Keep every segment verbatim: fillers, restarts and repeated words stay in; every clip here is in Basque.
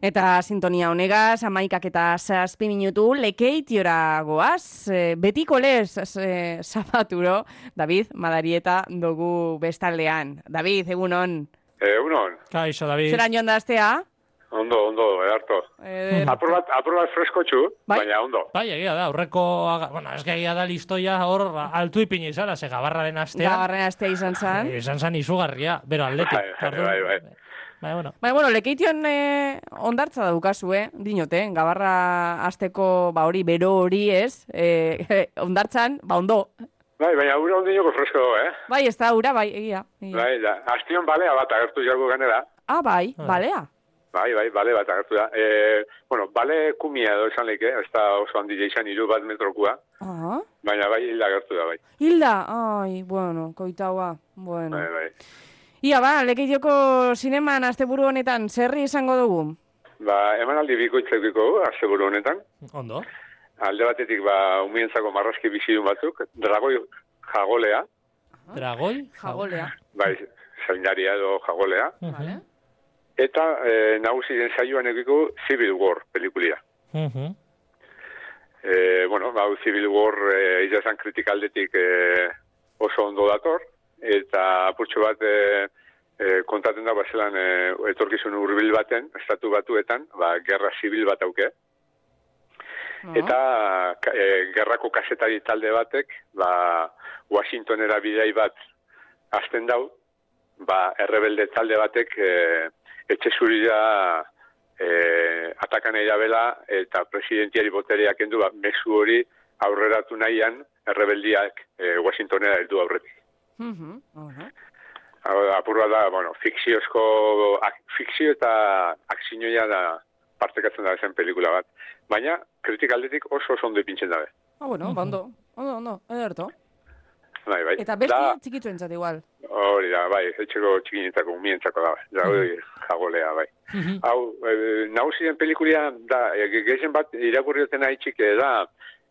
Eta sintonia honegaz, amaikak eta zazpi minutu, lekeitiora goaz, e, betiko lez, e, zapaturo, David Madarieta dugu bestaldean. David, egunon. Egunon. Kaixo, David. Zeran joan da aztea? Ondo, ondo, edarto. Eder... Apur bat, apur bat freskotxu, bai? Baina ondo. Bai, egia da, aurreko, bueno, ez egia da listoia hor altu ipini izala, ze gabarraren astean. Gabarraren astea izan zan. Izan zan izugarria, bero aldetik. Bai, bai, bai. Bai, bueno. Bai, bueno, lekeition eh, ondartza daukazu, eh? Dinote, gabarra asteko, ba hori, bero hori ez, eh, ondartzan, ba ondo. Bai, baina ura ondinoko fresko, eh? Bai, ez da, ura, bai, egia. egia. Bai, da, astion balea bat agertu jago ganera. Ah, bai, balea. Bai, bai, bale bat agertu da. E, bueno, bale kumia edo esan leike, ez da oso handia izan hiru bat metrokua. Ah. Baina bai, hilda agertu da, bai. Hilda? Ai, bueno, koitaua, bueno. Bai, bai. Ia, ba, lekeitioko zineman asteburu honetan, zerri izango dugu? Ba, emanaldi bikoitzekiko asteburu honetan. Ondo. Alde batetik, ba, umientzako marrazki bizidun batzuk, dragoi jagolea. Dragoi? Jagolea. Bai, zaindaria edo jagolea. Vale. Eta e, nagusi den saioan egiko Civil War pelikulia. Uh -huh. e, bueno, hau Civil War e, izan kritikaldetik e, oso ondo dator, eta apurtxo bat e, e, kontaten da bazelan e, etorkizun hurbil baten, estatu batuetan, ba, gerra zibil bat auke. Uh-huh. Eta e, gerrako kasetari talde batek, ba, Washingtonera bidai bat hasten dau, ba, errebelde talde batek e, etxe zurira e, atakan bela eta presidentiari botereak endu, ba, mezu hori aurreratu nahian errebeldiak e, Washingtonera heldu aurretik. Uh-huh. Uh-huh. Apurra da, bueno, fikziozko, ak, fikzio eta akzinoia da partekatzen da zen pelikula bat. Baina, kritikaldetik oso oso ondo ipintzen dabe. Ah, bueno, uh-huh. Ondo, ondo, ondo, ederto. Bai, bai. Eta besti txikitu entzat igual. Hori da, bai, etxeko txikinetako, umientzako da, da, uh-huh. jagolea, bai. Uh-huh. Hau, e, nausien pelikulia da, e, gehien bat irakurrioten haitxik da,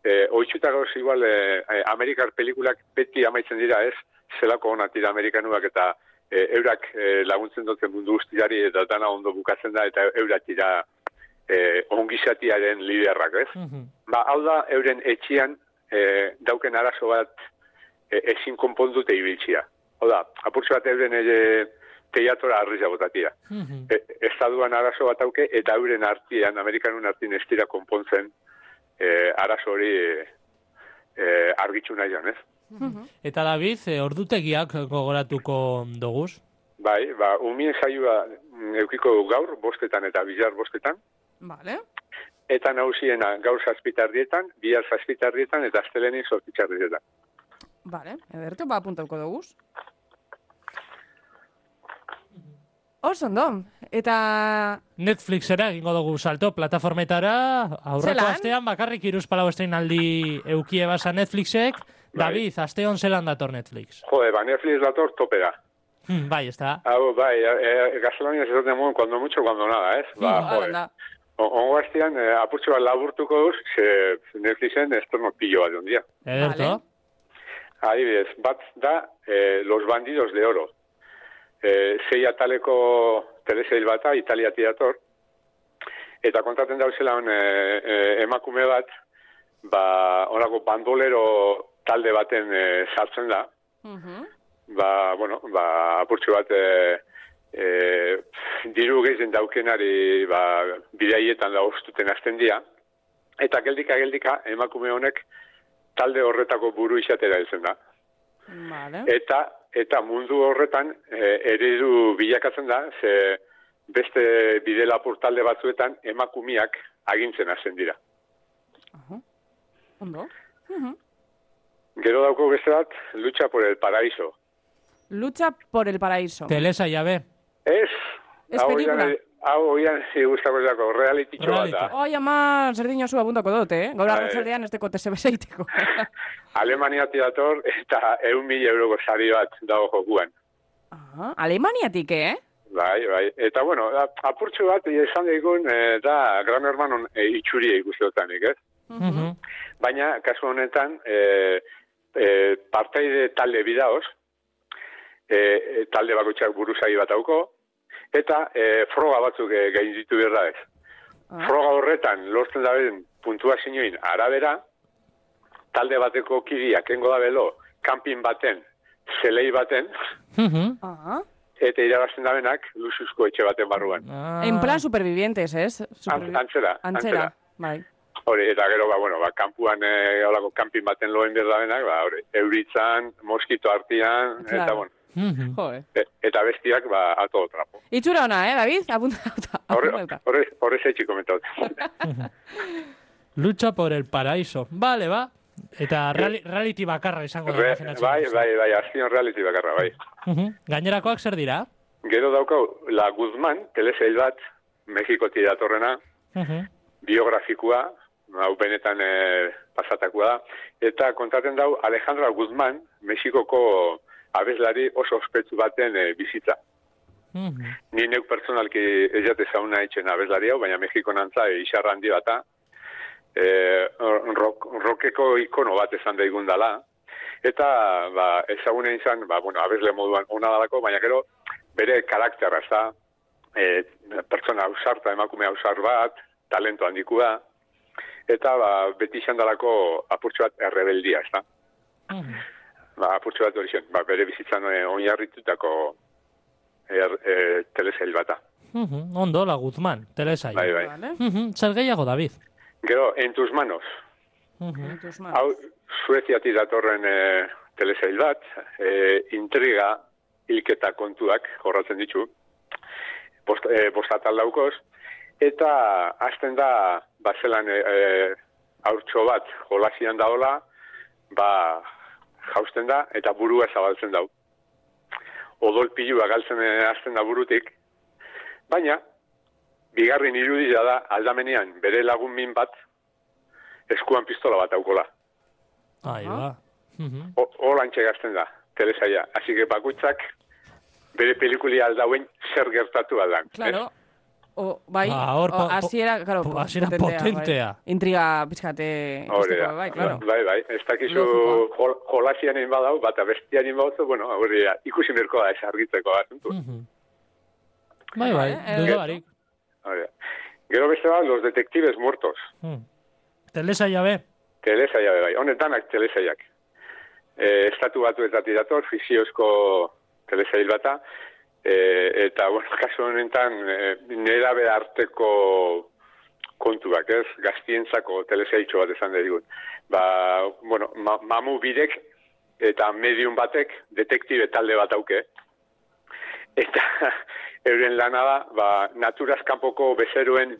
e, oitxutako igual, e, Amerikar pelikulak beti amaitzen dira ez, zelako onatira Amerikanuak eta e, eurak e, laguntzen duten mundu guztiari eta dana ondo bukatzen da eta eurak dira e, ongizatiaren liderrak, ez? Uh-huh. Ba, hau da, euren etxian e, dauken arazo bat e, ezin konpondute ibiltzia. Hau da, apurtzu bat euren e, teiatora arriza botatia. Uh-huh. e, Estaduan arazo bat auke eta euren artian, Amerikanun artien ez dira konpontzen e, arazo hori e, e, argitzu nahi jan, ez? Uh-huh. Eta David, e, ordutegiak gogoratuko doguz? Bai, ba, umien saioa eukiko gaur, bostetan eta bizar bostetan. Vale. Eta nausiena gaur zazpitardietan, bihar zazpitardietan eta astelenin zortzitxardietan. Vale, ederto, ba, apuntauko doguz. Oso ondo, eta... Netflixera egingo dugu salto, plataformetara, aurreko Zelan? astean, bakarrik iruzpalau estreinaldi eukie basa Netflixek. Bai. David, aste hon zelan dator Netflix? Jode, ba, Netflix dator topera. Hmm, bai, ez da. Hau, bai, e, gaztelania ez dut muen, cuando mucho, cuando nada, ez? Ba, jode. Ongo hastian, e, apurtxo bat laburtuko duz, ze Netflixen ez torno pillo bat ondia. Ederto. Vale. Adibidez, bat da, e, Los Bandidos de Oro. E, zei ataleko telesail bata, Italiati dator, eta kontaten dauzelan e, e, emakume bat, ba, onako bandolero talde baten e, sartzen da, uh-huh. ba, bueno, ba, apurtxo bat, e, e, diru gehien daukenari, ba, bidaietan da ostuten azten dia, eta geldika, geldika, emakume honek talde horretako buru izatera heltzen da. Vale. Eta, eta mundu horretan e, eredu bilakatzen da, ze beste bidelapur talde batzuetan emakumiak agintzen hasten dira. Uh-huh. Ondo. Uh-huh. Gero dauko beste bat, Lucha por el Paraíso. Lucha por el Paraíso. Telesa jabe. Ez, Ez hau pelikula. oian, hau oian gustako dako, reality txo bat da. Oi, ama, zerdin oso abuntako dut, eh? Gaur arratzaldean ez teko tesebeseiteko. Alemaniati dator eta eun mila euroko sari bat dago jokuan. Ah, Alemaniatik, eh? Bai, bai. Eta, bueno, apurtxo bat, esan daigun, e, da, Gran Hermanon e, itxuria ikusteotanik, ez? Uh-huh. Baina, kasu honetan, e, e, partaide talde bidaoz, e, talde bakoitzak buruzagi bat auko, eta e, froga batzuk e, gain ditu berda ez. froga horretan lortzen daben puntuazioin arabera, talde bateko kidiak engo da belo, kanpin baten, zelei baten, Ah. eta irabazten dabenak luxuzko etxe baten barruan. Ah. En plan supervivientes, ez? Supervi- Antzera, Antzera, antzera. bai. Hori, eta gero, ba, bueno, ba, kanpuan, e, holako kanpin baten loen berdabenak, ba, hori, euritzan, moskito artian, Claro. eta, bueno, Mhm. Jo, eh. e, eta bestiak, ba, a todo trapo. Itxura ona, eh, David? Apuntauta. Horre, apuntauta. horre, horre zeitxik komentatu. Lucha por el paraíso. Vale, ba. Eta reali, reality bakarra izango da. Re, imaginatzen bai, duzu. bai, bai, azpion reality bakarra, bai. Mhm. Gainerakoak zer dira? Gero daukau, La Guzmán, telesail bat, Mexikotik datorrena, Mhm. biografikoa, hau benetan e, pasatakoa da, eta kontaten dau Alejandra Guzmán, Mexikoko abeslari oso ospetsu baten e, bizitza. Mhm. Ni neuk personalki ez jate zauna etxen abeslari hau, baina Mexiko nantza e, isarra handi bata, e, rock, rockeko ikono bat esan daigun dala, eta ba, ezagune izan, ba, bueno, abesle moduan ona dalako, baina gero bere karakterra, ez da, e, pertsona ausarta, emakume ausar bat, talento handikua, eta ba, beti izan dalako apurtxo bat errebeldia, ez da. Mhm. Ba, apurtxo bat hori zen, ba, bere bizitzan e, oinarritutako er, e, telesail bata. Mhm. Ondo, La Guzmán, telesail. Bai, bai. Vale. Mhm. Zer gehiago, David? Gero, En tus manos, Mhm. En tus manos. hau Sueziatik datorren e, telesail bat, e, intriga, hilketa kontuak jorratzen ditu, bost, e, bostatal daukoz, eta hasten da, bazelan e, e, haurtxo bat jolasian daola, ba, jausten da, eta burua zabaltzen dau. Odolpilua galtzen e, hasten da burutik, baina, bigarren irudia da, aldamenean, bere lagun min bat, eskuan pistola bat daukola. Ahí va. Mhm. Holantxe gazten da, telesaia. Así que bakuitzak bere pelikulia aldauen zer gertatu aldan. Claro. O, bai, Ah, hor o, po- po- hasiera, claro, po- hasiera potentea, potentea. Bai. Intriga pizkate Hori da. ikusteko, bai, claro. Bai, bai. Ez dakizu Logikoa. jol, jolasian egin badau, bat abestian egin badau, bueno, hori da, ikusi mirko da ez argitzeko asuntu. Mhm. Bai, bai, Eh, dudo barik. Hori da. Gero beste bat, Los detectives muertos. Mhm. Telesaila be. Telesaia be bai. Honetanak telesaiak. E, estatu batuetatik dator, fiziozko telesail bata, e, eta, bueno, kasu honetan, e, nerabe arteko kontuak, ez? Gaztientzako telesailtxo bat esan digun. Ba, bueno, ma, mamu bidek eta medium batek detektibe talde bat auke. Eta euren lana da, ba, naturaz kanpoko bezeroen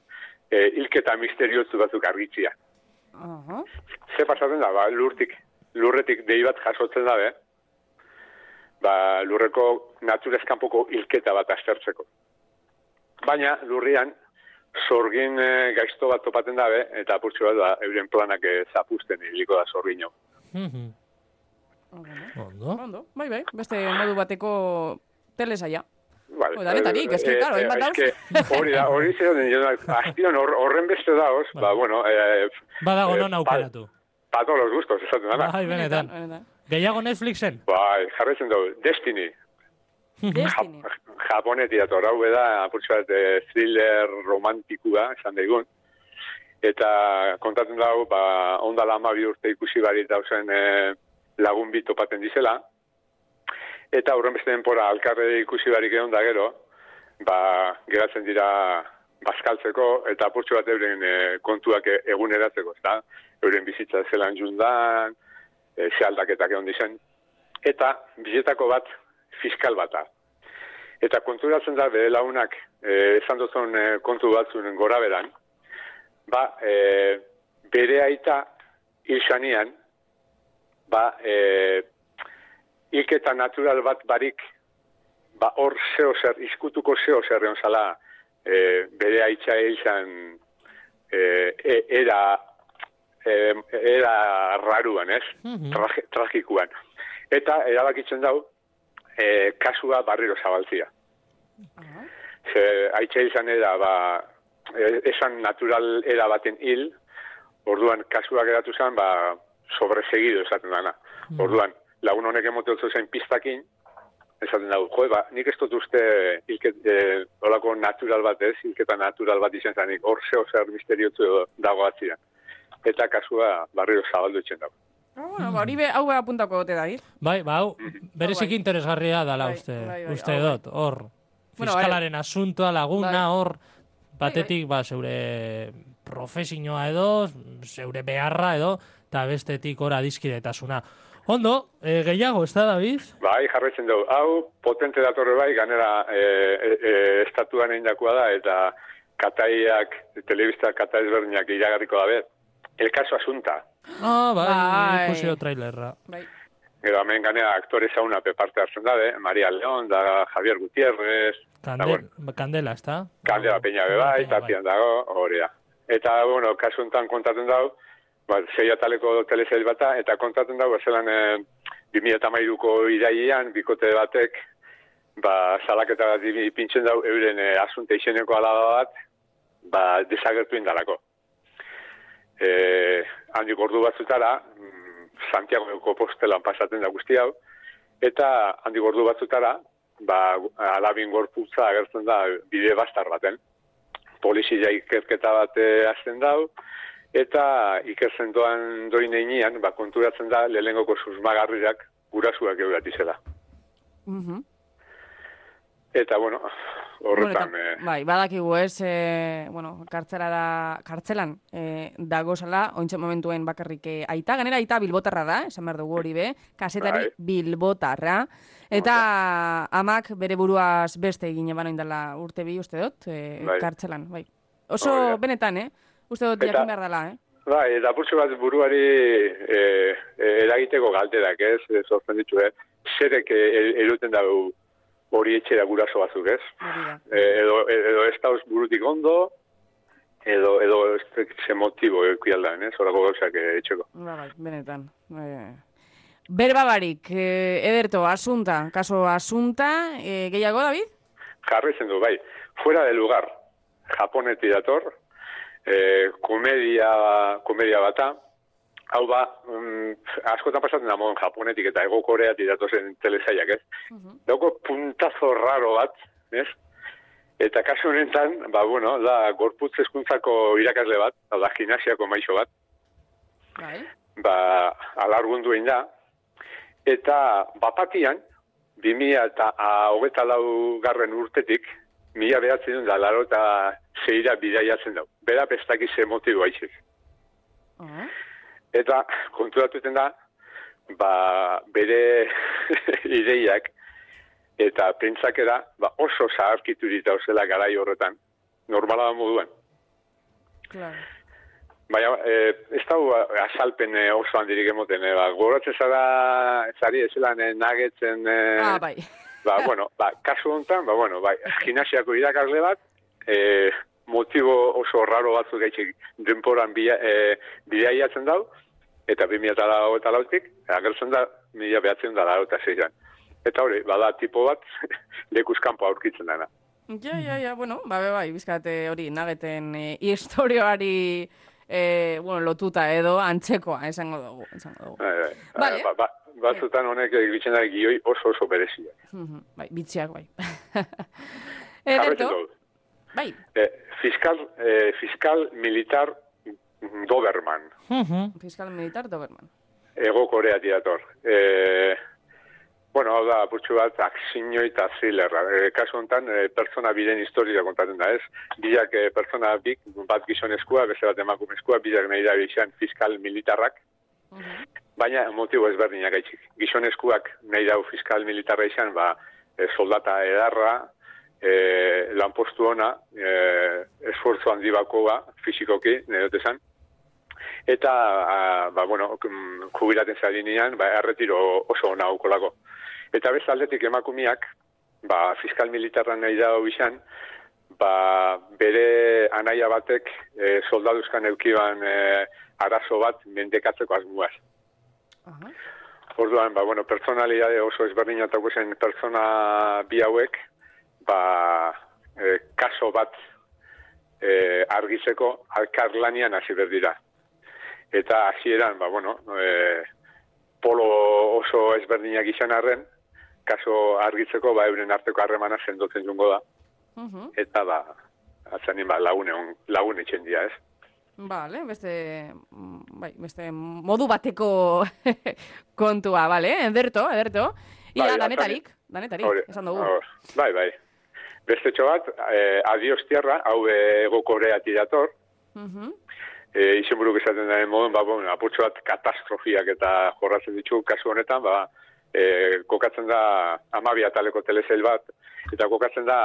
e, hilketa misteriozu batzuk argitzia. Aha. Ze pasatzen da, ba, lurtik, lurretik dei bat jasotzen dabe, ba, lurreko naturaz kanpoko hilketa bat aztertzeko. Baina, lurrian, sorgin e, gaizto bat topaten dabe, eta apurtxo bat, ba, euren planak e, zapusten hiliko da sorgino. Mhm. Ondo. Ondo. Ondo, bai, bai, beste modu bateko telesaia. Vale. Hoi, danetarik, ez que, claro, hainbat dauz. eske, hori da, hori zer, azpion hor, horren beste dauz, ba, bueno, eh, Badago eh, non aukeratu. Pa, pa todos los gustos, esaten dana. Bai, benetan. benetan. Gehiago Netflixen? Bai, jarretzen dugu, Destiny. Destiny. Japonetik dator, hau da, apurtxo bat, eh, thriller romantikua, esan daigun. Eta kontatzen dago, ba, ondala hamabi urte ikusi barit dauzen eh, lagun bi topaten dizela. Eta horren beste denpora alkarre ikusi barik egon da gero, ba, geratzen dira bazkaltzeko eta apurtxo bat euren e, kontuak e, eguneratzeko, ezta? Euren bizitza zelan jundan, e, ze aldaketak egon dizen. Eta bizetako bat fiskal bata. Eta konturatzen da bere lagunak e, esan duzun e, kontu batzuen gora beran, ba, e, bere aita hil xanian, ba, e, hilketa natural bat barik, ba, hor zeo zer, izkutuko zeo zer egon zala, e, bere aitza hilzan e, e, era, e, era raruan, ez? Mhm. Trage, tragikuan. Eta erabakitzen dau, e, kasua barriro zabaltzia. Aha. Ze, aitza hilzan era, ba, e, esan natural era baten hil, orduan kasua geratu zen, ba, sobresegido esaten dana. Orduan, lagun honek emoteotzu zen pistakin, esaten dago, jo, ba, nik ez dut uste hilket, e, olako natural bat ez, hilketa natural bat izan zanik, hor zeo zer misteriotzu dago atzian. Eta kasua barrio zabaldu etxen dago. Ah, bueno, ba, hori be, hau be apuntako gote da, Bai, ba, hau, berezik interesgarria dala bai, uste, bai, bai, uste hau, dut, hor, Bueno, fiskalaren asuntoa laguna, bai. hor, batetik, ba, zeure profesioa edo, zeure beharra edo, eta bestetik hor adiskidetasuna. Ondo, e, gehiago, ez da, David? Bai, jarraitzen dugu. Hau, potente datorre bai, ganera e, e, e, estatuan egin dakoa da, eta kataiak, telebista katai ezberdinak iragarriko dabe. El caso asunta. Ah, bai, Bai. ikusi o trailerra. Bai. Gero, hemen ganera aktore zauna parte hartzen dabe, Maria León, da Javier Gutiérrez, Kandel, Kandela, ez da? Kandela Peña be bai, tapian dago, hori da. Eta, bueno, kasu honetan kontatzen dago, ba, zei ataleko telesail bata, eta kontatzen dago, zelan e, bi mila hamairuko irailean, bikote batek, ba, salaketa bat ipintzen dago, euren e, asunte izeneko alaba bat, ba, desagertu indalako. E, handik ordu batzutara, Santiagoko postelan pasatzen da guzti hau, eta handik ordu batzutara, ba, alabin gorputza agertzen da bide bastar baten. Polizia ikerketa bat hasten dau, eta ikertzen doan doin einean, ba, konturatzen da lehenengoko susmagarriak gurasuak euratizela. Mhm. Eta, bueno, horretan... Bueno, eta, eh, bai, badakigu ez, e, bueno, kartzelara, kartzelan e, dagozala, ointxe momentuen bakarrik e, aita, ganera aita bilbotarra da, esan behar dugu hori be, kasetari Bai. bilbotarra, eta amak bere buruaz beste egin eban oindala urte bi uste dut, e, Bai. kartzelan, bai. Oso Hori da. benetan, eh? Uste dut Eta- jakin behar dela, eh? Bai, eta purtsu bat buruari e, e, eragiteko galderak, ez, ez sortzen ditu, eh? Zerek e, eruten dago hori etxera guraso batzuk, ez? Hori da. E, edo, edo ez dauz burutik ondo, edo, edo ez ze motibo ekuialdan, ez? Horako gauzak eh, etxeko. Ba, bai, benetan. E, berbabarik, e, ederto, asunta, kaso asunta, e, gehiago, David? Jarraitzen du, bai. Fuera de lugar, Japonetik dator, e, komedia, komedia bata, hau ba, um, askotan pasatzen da moden Japonetik eta Ego Koreatik datozen telesaiak, ez? Mhm. Dauko puntazo raro bat, ez? Eta kasu honetan, ba, bueno, da gorputz hezkuntzako irakasle bat, hau da gimnasiako maixo bat, Bai. ba, alargundu egin da, eta bapatian, bi mila eta hogeita lau garren urtetik, mila behatzen duen da, laro eta zeira bidaiatzen dau. Bera pestakiz motibo haizik. Ah. Eta konturatuten da, ba, bere ideiak eta pentsakera ba, oso zaharkitu dita zela garai horretan, normala da moduan. Claro. Baina, e, ez da azalpen e, oso handirik emoten, e, ba, goratzen zara, zari ezelan e, nagetzen, e, Ah, bai. ba, bueno, ba, kasu honetan, ba, bueno, ba, gimnasiako irakasle bat, e, motibo oso raro batzuk gaitxik denporan bia, e, bidaiatzen dau, eta bi mila eta lautik, agertzen da, mila behatzen da laro eta zeian. Eta hori, bada tipo bat, lekuzkampo aurkitzen dena. Ja, ja, ja, bueno, ba, be, bai, bizkate hori, nageten e, historioari e, bueno, lotuta edo antzekoa, esango dugu, esango dugu. Bai, bai. Vale. Ba, ba, batzutan honek egitzen da gioi oso oso bereziak. Mhm, bai, bitxiak, bai. Jarraitzen Ederto, dugu. bai, Eh, fiskal, eh, fiskal militar Doberman, Mhm. fiskal militar Doberman. Ego Korea dator. Eh, bueno, hau da, putxu bat, aksinio eta thrillerra. Eh, kasu honetan, eh, pertsona biren historia kontatzen da, ez? Bilak eh, pertsona bik, bat gizonezkoa, beste bat emakumezkoa, bilak nahi da bizan fiskal militarrak, Mhm. baina motibo ezberdinak gaitxik. Gizonezkoak nahi dau fiskal militarra izan, ba, eh, soldata edarra, eh, lanpostu ona, eh, esfortzu handi bakoa, fizikoki, nahi dut esan, eta, a, ba, bueno, mm, jubilaten zarinean, ba, erretiro oso ona aukolako. Eta beste aldetik emakumiak, ba, fiskal militarra nahi da izan, ba, bere anaia batek e, soldaduzkan eukiban e, arazo bat mendekatzeko asmuaz. Aha. Orduan, ba, bueno, personalidade oso ezberdinatako zen pertsona bi hauek, ba, e, kaso bat e, argitzeko alkarlanian hasi berdira. Eta hasieran, ba, bueno, e, polo oso ezberdinak izan arren, kaso argitzeko, ba, euren arteko harremana sendotzen jungo da. Uh-huh. Eta, ba, atzanin, ba, lagune, lagune etxen dira, ez? Vale, beste, bai, beste modu bateko kontua, vale, ederto, ederto. Ia, bai, danetarik, danetarik, ore, esan dugu. Or, bai, bai. Beste txobat, eh, Adios Tierra, hau Ego Koreatik dator. Uh-huh. E, izen buruk esaten daren modun, ba, bon, apurtxo bat katastrofiak eta jorratzen ditu kasu honetan, ba, e, kokatzen da Amabia taleko telesail bat, eta kokatzen da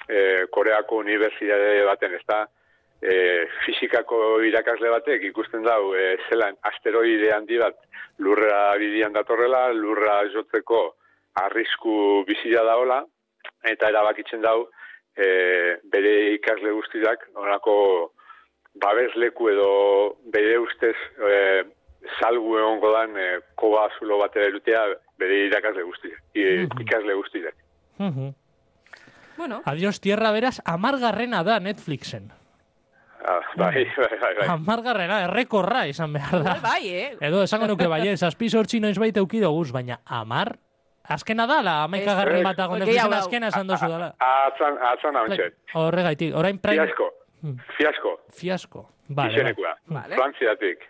e, Koreako unibertsitate baten, ez da, e, fizikako irakasle batek ikusten dau, e, zelan asteroide handi bat lurra bidian datorrela, lurra jotzeko arrisku bizia daola, eta erabakitzen dau, e, bere ikasle guztiak, onako babesleku edo bere ustez e, salgu egongo dan e, koba zulo batera erutea bere irakasle guztiak, uh-huh. ikasle guztiak. Uh-huh. Bueno. Adios Tierra beraz, amargarrena da Netflixen. Ah, bai, bai, bai, bai. Amargarrena, errekorra izan behar da. Bai, eh? Edo, esango nuke bai, zazpi sortzi noiz baita eukidoguz, baina amar? Azkena da, la amaikagarren bat agon Netflixen azkena esan dozu dala. Atzan, atzan hau txet. Horregaitik, orain prime... Fiasko, fiasko. Fiasko, vale. Izenekua, vale. Frantziatik.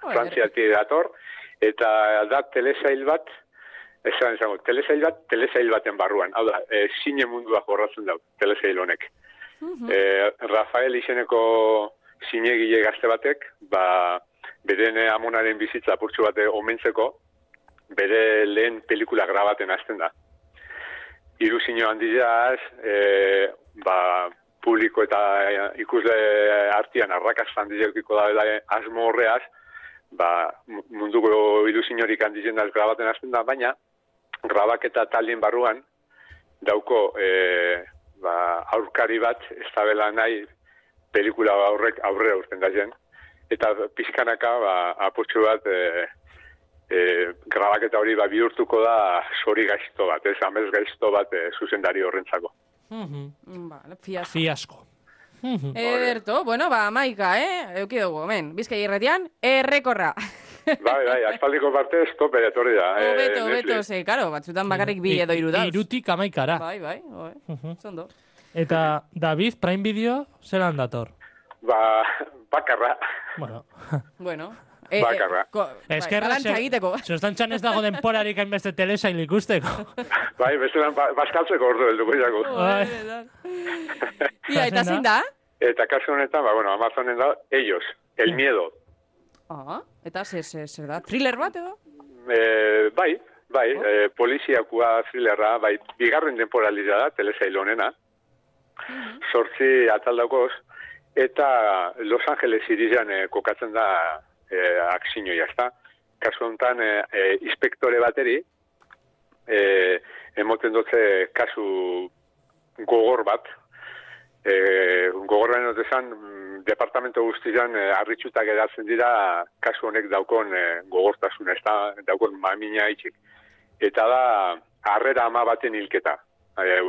Frantziatik dator, eta da telesail bat, esan esango, telesail bat, telesail baten barruan. Hau da, e, zine mundua jorratzen dau, telesail honek. Uh-huh. E, Rafael izeneko zinegile gazte batek, ba, beren amonaren bizitza apurtxu bate omentzeko, bere lehen pelikula grabaten hasten da. Hiru zino handiaz, e, ba, publiko eta ikusle artian arrakasta handiekiko da asmo horreaz, ba, munduko hiru zinorik handizen daz grabaten hasten da, baina grabaketa taldien barruan dauko e, ba, aurkari bat ez da bela nahi pelikula aurrek aurrera urten da zen. Eta pizkanaka ba, apurtxu bat e, e, grabaketa hori ba, bihurtuko da sori gaizto bat, ez amez gaizto bat e, zuzendari horrentzako. Mm-hmm. Vale, fiasko. Fiasko. Mm-hmm. Ederto, bueno, ba, maika, eh? Euki dugu, hemen, Bizkai irratian, errekorra. Bai, bai, aspaldiko parte estoper etorri da. O, beto, eh, beto, ze, karo, batzutan bakarrik bi edo iru dauz. Irutik amaikara. Bai, bai, oi, uh-huh. Zondo. Eta, David, Prime Video, zelan dator? Ba, bakarra. Bueno. Bueno. Eh, bakarra. Eh, ko, Eskerra, bai, egiteko. Zostantxan ez dago denporarik hainbeste telesail ikusteko. Bai, bestelan, ba, baskaltzeko ordu helduko jako. Ia, eta zin da? Eta kasu honetan, ba, bueno, Amazonen da, ellos, el miedo. Ah, eta zer, zer, zer da? Thriller bat edo? E, bai, bai, oh. e, poliziakua thrillerra, bai, bigarren temporaliza da, telesail honena, uh-huh. Sortzi ataldaukoz, eta Los Angeles irisan e, kokatzen da e, aksinio jazta. Kasu honetan, e, e, inspektore bateri, e, emoten dutze kasu gogor bat, e, gogorren dutezan, departamento guztian e, arritxutak edatzen dira kasu honek daukon e, gogortasun, ez da, daukon mamina itxik. Eta da, harrera ama baten hilketa. E,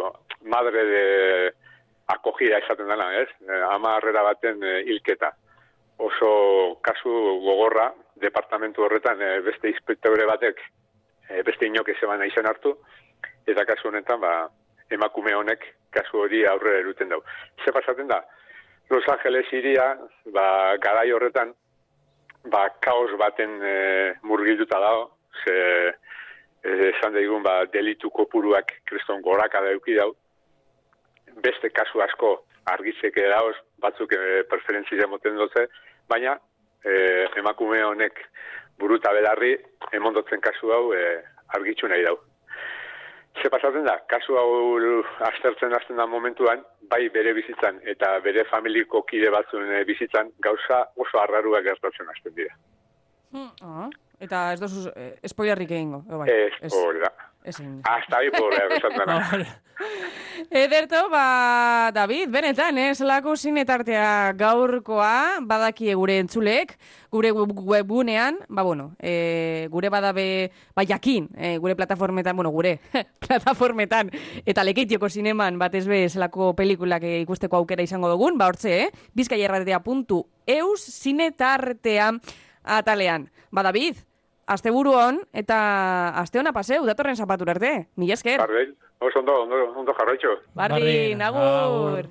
madre de akogida esaten dena, ez? E, ama harrera baten e, hilketa. Oso kasu gogorra, departamentu horretan e, beste inspektore batek, e, beste inok ezeban izan hartu, eta kasu honetan, ba, emakume honek kasu hori aurrera eruten dau. Ze pasaten da? Los Angeles iria, ba, garai horretan, ba, kaos baten e, murgilduta dago, ze esan daigun, ba, delitu kopuruak kriston goraka dauki dau. Beste kasu asko argitzeke dauz, batzuk e, preferentzia moten dutze, baina e, emakume honek buruta belarri, emondotzen kasu hau e, argitzu nahi dau. Ze pasatzen da, kasu hau aztertzen hasten da momentuan, bai bere bizitzan eta bere familiko kide batzuen bizitzan gauza oso arraruak gertatzen hasten dira. Hmm, ah, eta ez dozu eh, spoilerrik egingo. Bai. Ez, hori da. Hasta ahí pobre, esatzen da. Ederto, ba, David, benetan, ez lako zinetartea gaurkoa, badaki gure entzulek, gure webgunean, ba, bueno, e, gure badabe, ba, jakin, e, gure plataformetan, bueno, gure plataformetan, eta Lekeitioko zineman, batez be, zelako pelikulak ikusteko aukera izango dugun, ba, hortze, eh? bizkaierratea puntu eus zinetartea atalean. Ba, David, asteburu hon, eta aste hona paseu, datorren zapatura arte. Mila esker. Bardel, oso ondo, ondo, ondo jarraitxo. Bardin, agur.